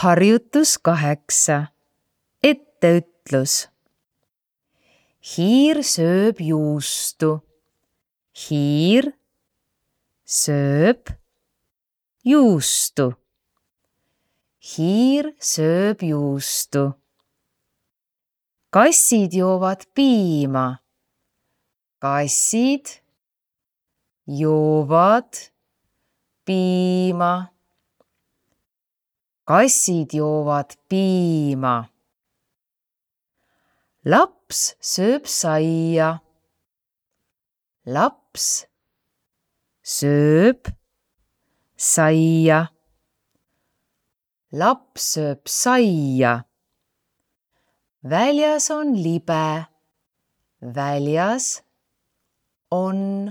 Harjutus 8. Etteütlus. Hiir sööb juustu. Hiir sööb juustu. Hiir sööb juustu. Kassid joovad piima. Kassid joovad piima. Kassid joovad piima. Laps sööb saia. Laps sööb saia. Laps sööb saia. Väljas on libe. Väljas on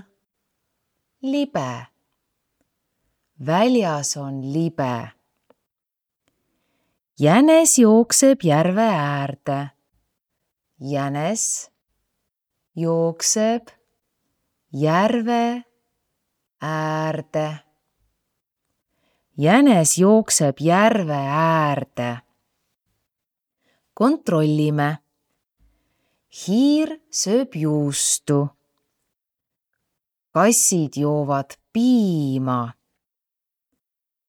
libe. Väljas on libe. Jänes jookseb järve äärde. Jänes jookseb järve äärde. Jänes jookseb järve äärde. Kontrollime. Hiir sööb juustu. Kassid joovad piima.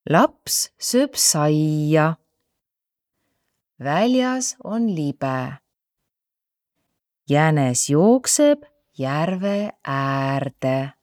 Laps sööb saia. Väljas on libe. Jänes jookseb järve äärde.